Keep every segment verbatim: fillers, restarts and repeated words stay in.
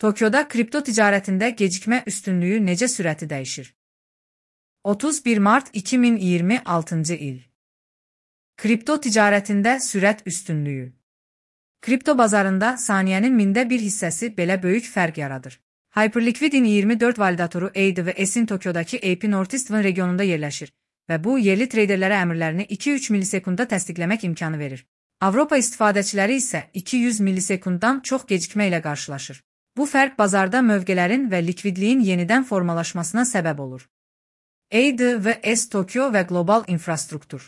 Tokyoda kripto ticarətində gecikmə üstünlüyü necə sürəti dəyişir? otuz bir mart iki min iyirmi altıncı il. Kripto ticarətində sürət üstünlüyü. Kripto bazarında saniyənin mində bir hissəsi belə böyük fərq yaradır. Hyperliquid'in iyirmi dörd validatoru A D V S'in Tokyodakı A P Northeastern regionunda yerləşir və bu yerli treyderlərə əmrlərini iki üç millisekundda təsdiqləmək imkanı verir. Avropa istifadəçiləri isə iki yüz millisekunddan çox gecikmə ilə qarşılaşır. Bu fərq bazarda mövqələrin və likvidliyin yenidən formalaşmasına səbəb olur. A D V S Tokyo və qlobal infrastruktur.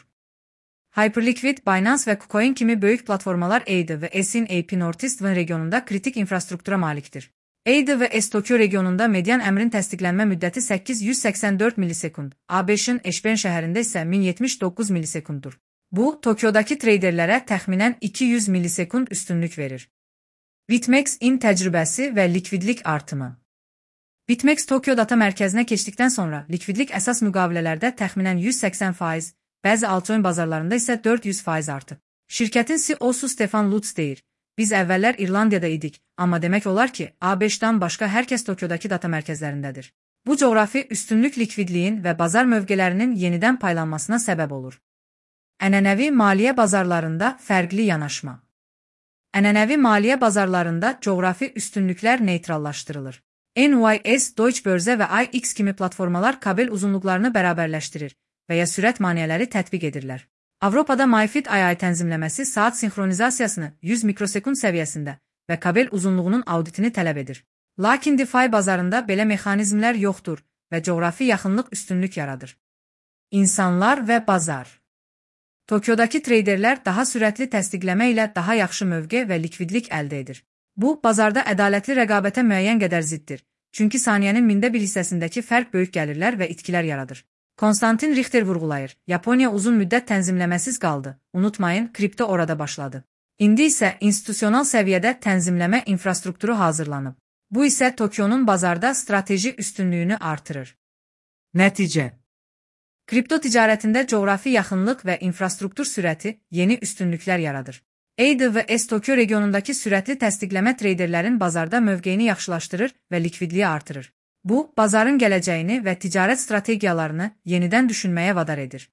Hyperliquid, Binance və KuCoin kimi böyük platformalar A D V S'in A P Northeastern regionunda kritik infrastruktura malikdir. A D V S Tokyo regionunda median əmrin təsdiqlənmə müddəti səkkiz yüz səksən dörd millisekund, ABŞ-ın Eşben şəhərində isə min yetmiş doqquz millisekunddur. Bu, Tokyodakı treyderlərə təxminən iki yüz millisekund üstünlük verir. BitMEX-in təcrübəsi və likvidlik artımı. BitMEX Tokyo data mərkəzinə keçdikdən sonra likvidlik əsas müqavilələrdə təxminən yüz səksən faiz, bəzi altcoin bazarlarında isə dörd yüz faiz artıb. Şirkətin C E O-su Stefan Lutz deyir: "Biz əvvəllər İrlandiyada idik, amma demək olar ki, ABŞ-dan başqa hər kəs Tokyodakı data mərkəzlərindədir." Bu coğrafi üstünlük likvidliyin və bazar mövqelərinin yenidən paylanmasına səbəb olur. Ənənəvi maliyyə bazarlarında fərqli yanaşma. Ənənəvi maliyyə bazarlarında coğrafi üstünlüklər neytrallaşdırılır. N Y S, Deutsche Börse və I X kimi platformalar kabel uzunluqlarını bərabərləşdirir və ya sürət maneələri tətbiq edirlər. Avropada MiFID I I tənzimləməsi saat sinxronizasiyasını yüz mikrosekund səviyyəsində və kabel uzunluğunun auditini tələb edir. Lakin DeFi bazarında belə mexanizmlər yoxdur və coğrafi yaxınlıq üstünlük yaradır. İnsanlar və bazar. Tokyodakı treyderlər daha sürətli təsdiqləmə ilə daha yaxşı mövqe və likvidlik əldə edir. Bu, bazarda ədalətli rəqabətə müəyyən qədər ziddir, çünki saniyənin mində bir hissəsindəki fərq böyük gəlirlər və itkilər yaradır. Konstantin Richter vurğulayır: "Yaponiya uzun müddət tənzimləməsiz qaldı. Unutmayın, kripto orada başladı. İndi isə institusional səviyyədə tənzimləmə infrastrukturu hazırlanıb. Bu isə Tokyonun bazarda strateji üstünlüyünü artırır." Nəticə. Kripto ticarətində coğrafi yaxınlıq və infrastruktur sürəti yeni üstünlüklər yaradır. A D V S Tokyo regionundakı sürətli təsdiqləmə treyderlərin bazarda mövqeyini yaxşılaşdırır və likvidliyi artırır. Bu, bazarın gələcəyini və ticarət strategiyalarını yenidən düşünməyə vadar edir.